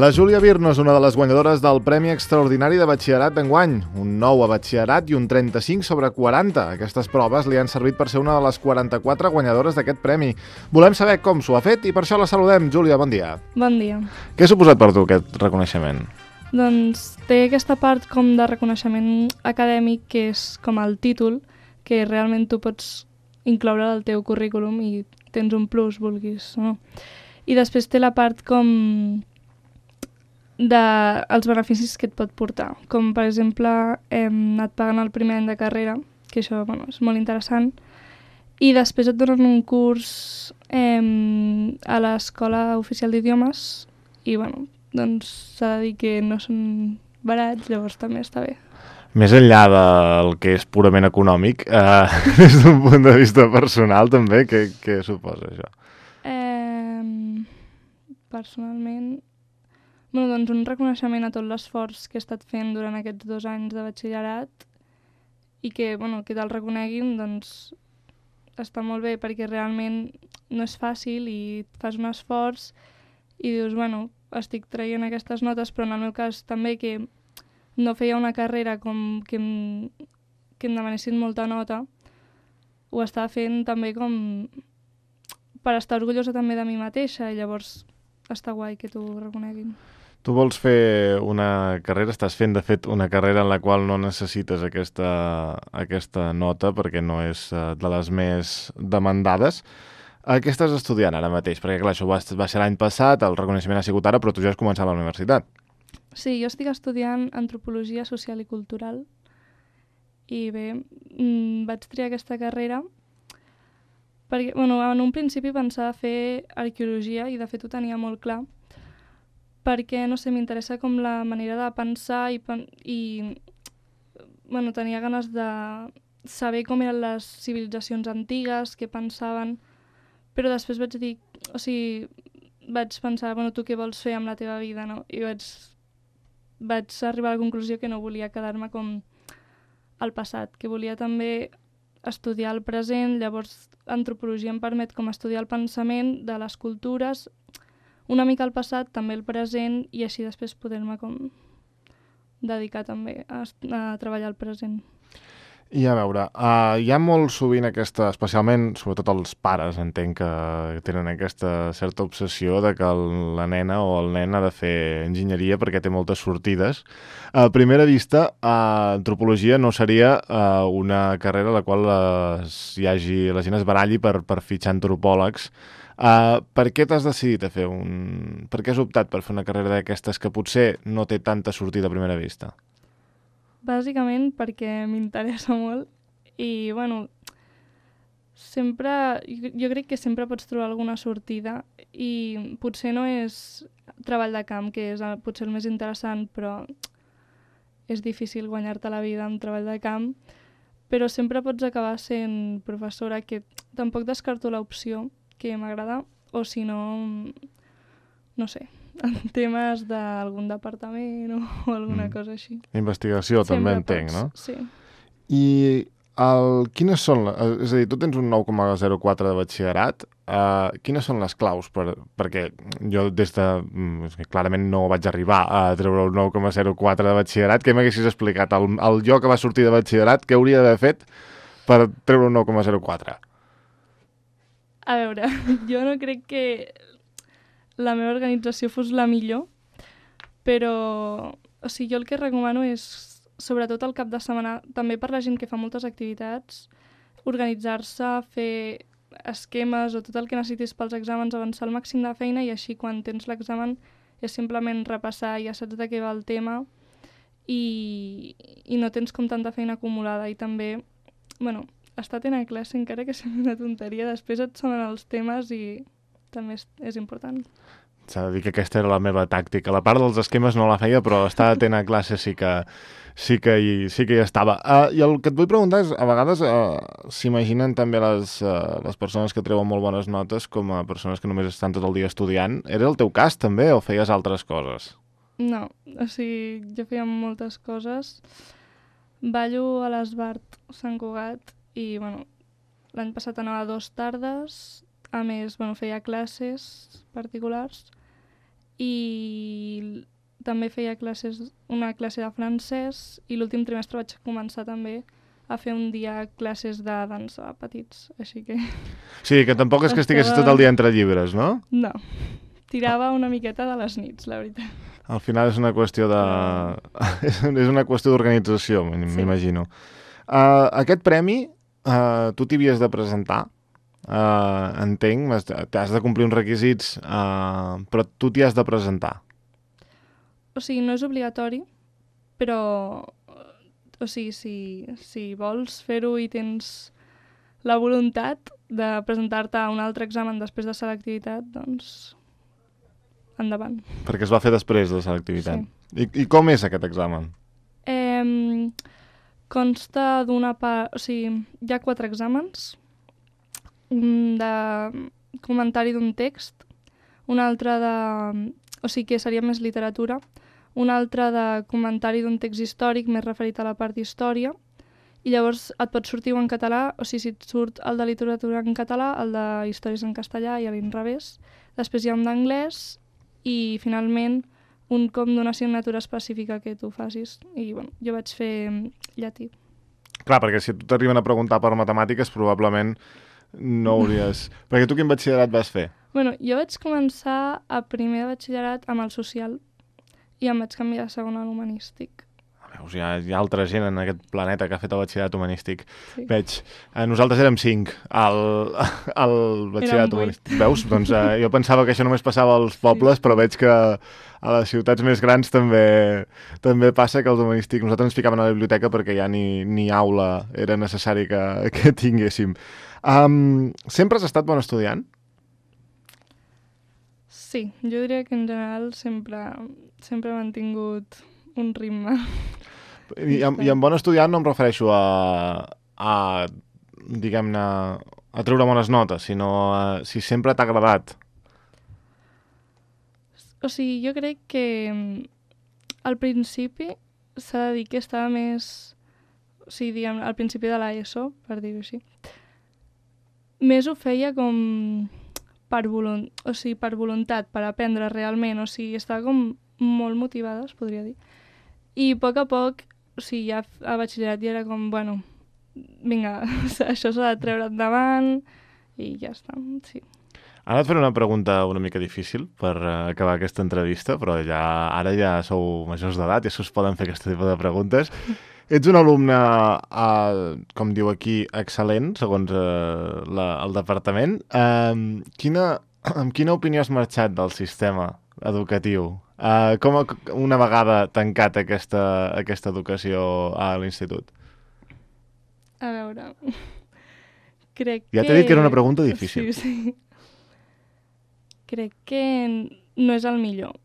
La Júlia Virno és una de les guanyadores del Premi Extraordinari de Batxillerat d'enguany, un 9 a Batxillerat i un 35 sobre 40. Aquestes proves li han servit per ser una de les 44 guanyadores d'aquest premi. Volem saber com s'ho ha fet i per això la saludem. Júlia, bon dia. Bon dia. Què ha suposat per tu aquest reconeixement? Doncs té aquesta part com de reconeixement acadèmic, que és com el títol, que realment tu pots incloure al teu currículum i tens un plus, vulguis o no. I després té la part com dels beneficis que et pot portar, com per exemple et paguen el primer any de carrera, que això és molt interessant, i després et donen un curs a l'Escola Oficial d'Idiomes i doncs s'ha de dir que no són barats, llavors també està bé. Més enllà del que és purament econòmic, des d'un punt de vista personal també, què suposa això? Personalment, doncs un reconeixement a tot l'esforç que he estat fent durant aquests 2 anys de batxillerat i que te'l reconeguin, doncs està molt bé perquè realment no és fàcil i fas un esforç i dius, estic traient aquestes notes, però en el meu cas també que no feia una carrera com que em demanessin molta nota, ho estava fent també com per estar orgullosa també de mi mateixa i llavors està guai que t'ho reconeguin. Tu vols fer una carrera, estàs fent de fet una carrera en la qual no necessites aquesta nota perquè no és de les més demandades. Què estàs estudiant ara mateix? Perquè clar, això va ser l'any passat, el reconeixement ha sigut ara, però tu ja has començat a la universitat. Sí, jo estic estudiant Antropologia Social i Cultural i bé, vaig triar aquesta carrera perquè, en un principi pensava fer arqueologia i de fet ho tenia molt clar perquè, m'interessa com la manera de pensar i tenia ganes de saber com eren les civilitzacions antigues, què pensaven, però després vaig pensar, tu què vols fer amb la teva vida, no? I vaig arribar a la conclusió que no volia quedar-me com al passat, que volia també estudiar el present, llavors antropologia em permet com estudiar el pensament de les cultures, una mica al passat, també el present, i així després poder-me com dedicar també a treballar el present. I a veure, hi ha molt sovint especialment, sobretot els pares, entenc que tenen aquesta certa obsessió de que la nena o el nen ha de fer enginyeria perquè té moltes sortides. A primera vista, antropologia no seria una carrera a la qual la gent es baralli per fitxar antropòlegs. Per què t'has decidit a fer Per què has optat per fer una carrera d'aquestes que potser no té tanta sortida a primera vista? Bàsicament perquè m'interessa molt i, jo crec que sempre pots trobar alguna sortida i potser no és treball de camp, que és potser el més interessant, però és difícil guanyar-te la vida amb treball de camp, però sempre pots acabar sent professora, que tampoc descarto l'opció, que m'agrada, o si no, no sé, en temes d'algun departament o alguna cosa així. Investigació també entenc, no? Sí. I quines són, és a dir, tu tens un 9,04 de batxillerat, quines són les claus? Perquè jo clarament no vaig arribar a treure un 9,04 de batxillerat. Què m'haguessis explicat? El jo que va sortir de batxillerat, què hauria d'haver fet per treure un 9,04? A veure, jo no crec que la meva organització fos la millor, però jo el que recomano és, sobretot al cap de setmana, també per la gent que fa moltes activitats, organitzar-se, fer esquemes o tot el que necessitis pels exàmens, avançar al màxim de feina i així quan tens l'examen és simplement repassar, ja saps de què va el tema i no tens com tanta feina acumulada i també, estar atent a classe, encara que sigui una tonteria, després et sonen els temes i també és important. S'ha de dir que aquesta era la meva tàctica. La part dels esquemes no la feia, però estar atent a classe sí que hi estava. I el que et vull preguntar és, a vegades s'imaginen també les persones que treuen molt bones notes com a persones que només estan tot el dia estudiant. Era el teu cas també o feies altres coses? No, jo feia moltes coses. Ballo a l'Esbart Sant Cugat i, l'any passat anava 2 tardes, a més, feia classes particulars i també feia una classe de francès i l'últim trimestre vaig començar també a fer un dia classes de dansa a petits, així que... Sí, que tampoc és que estiguessis tot el dia entre llibres, no? No, tirava una miqueta de les nits, la veritat. Al final és una qüestió de... és una qüestió d'organització, m'imagino. Aquest premi, tu t'hi havies de presentar, entenc, t'has de complir uns requisits, però tu t'hi has de presentar. O sigui, no és obligatori, però o sigui, si vols fer-ho i tens la voluntat de presentar-te a un altre examen després de selectivitat, doncs endavant. Perquè es va fer després de selectivitat. Sí. I com és aquest examen? Consta d'una part... O sigui, hi ha 4 exàmens. Un de comentari d'un text, un altre de... O sigui, que seria més literatura, un altre de comentari d'un text històric més referit a la part d'història, i llavors et pot sortir en català, o sigui, si et surt el de literatura en català, el de històries en castellà i a l'inrevés. Després hi ha un d'anglès i, finalment, un com d'una assignatura específica que tu facis. I, bueno, jo vaig fer llatí. Clar, perquè si t'arriben a preguntar per matemàtiques, probablement no hauries... Perquè tu quin batxillerat vas fer? Bueno, jo vaig començar a primer de batxillerat amb el social, i em vaig canviar a segon a l'humanístic. Veus, hi ha altra gent en aquest planeta que ha fet el batxillerat humanístic. Sí. Veig, nosaltres érem 5 al batxillerat humanístic. Veus? Doncs jo pensava que això només passava als pobles, però veig que a les ciutats més grans també passa que els humanístics... Nosaltres ens ficaven a la biblioteca perquè ja ni aula era necessari que tinguéssim. Sempre has estat bon estudiant? Sí, jo diria que en general sempre he mantingut un ritme. I amb bon estudiant no em refereixo a diguem-ne, a treure bones notes, sinó si sempre t'ha agradat. O sigui, jo crec que al principi s'ha de dir que estava més... O sigui, diguem, al principi de l'ESO, per dir-ho així, més ho feia com... per voluntat, per aprendre realment, o sigui, estava com molt motivada, es podria dir. I a poc, o sigui, ja a batxillerat ja era com, bueno, vinga, això s'ha de treure endavant i ja està, sí. Ara et faré una pregunta una mica difícil per acabar aquesta entrevista, però ara ja sou majors d'edat i això us poden fer aquest tipus de preguntes. Ets un alumne, com diu aquí, excel·lent, segons el departament. Amb quina opinió has marxat del sistema educatiu? Com una vegada tancat aquesta educació a l'institut? A veure... Crec ja t'he dit que era una pregunta difícil. Sí. Crec que no és el millor.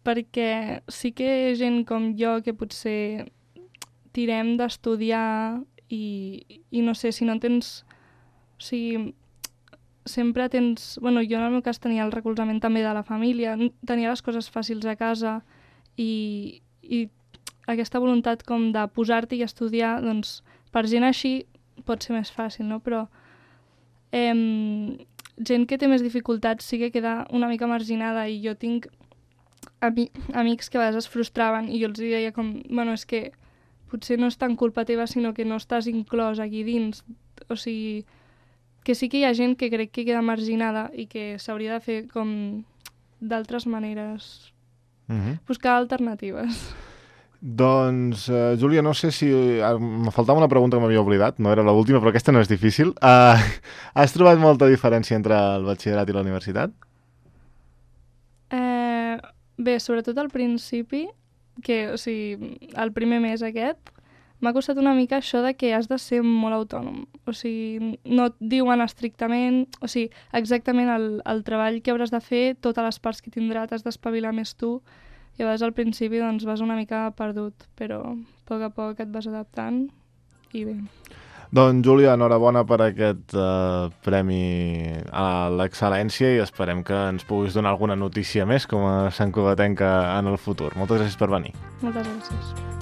Perquè sí que hi ha gent com jo que potser... tirem d'estudiar i no sé, si no tens... O sigui, sempre tens... Bueno, jo en el meu cas tenia el recolzament també de la família, tenia les coses fàcils a casa i aquesta voluntat com de posar-t'hi i estudiar, doncs per gent així pot ser més fàcil, no? Però gent que té més dificultats sí que queda una mica marginada i jo tinc amics que a vegades es frustraven i jo els deia com, bueno, és que potser no és tan culpa teva, sinó que no estàs inclòs aquí dins. O sigui, que sí que hi ha gent que crec que queda marginada i que s'hauria de fer com d'altres maneres. Buscar alternatives. Doncs, Júlia, no sé si... me faltava una pregunta que m'havia oblidat, no era l'última, però aquesta no és difícil. Has trobat molta diferència entre el batxillerat i la universitat? Bé, sobretot al principi, que, o sigui, el primer mes aquest, m'ha costat una mica això de que has de ser molt autònom. O sigui, no et diuen estrictament, o sigui, exactament el treball que hauràs de fer, totes les parts que tindrà, t'has d'espavilar més tu, i a vegades al principi doncs, vas una mica perdut, però a poc et vas adaptant i bé. Doncs, Júlia, enhorabona per aquest premi a l'excel·lència i esperem que ens puguis donar alguna notícia més com a santcugatenca en el futur. Moltes gràcies per venir. Moltes gràcies.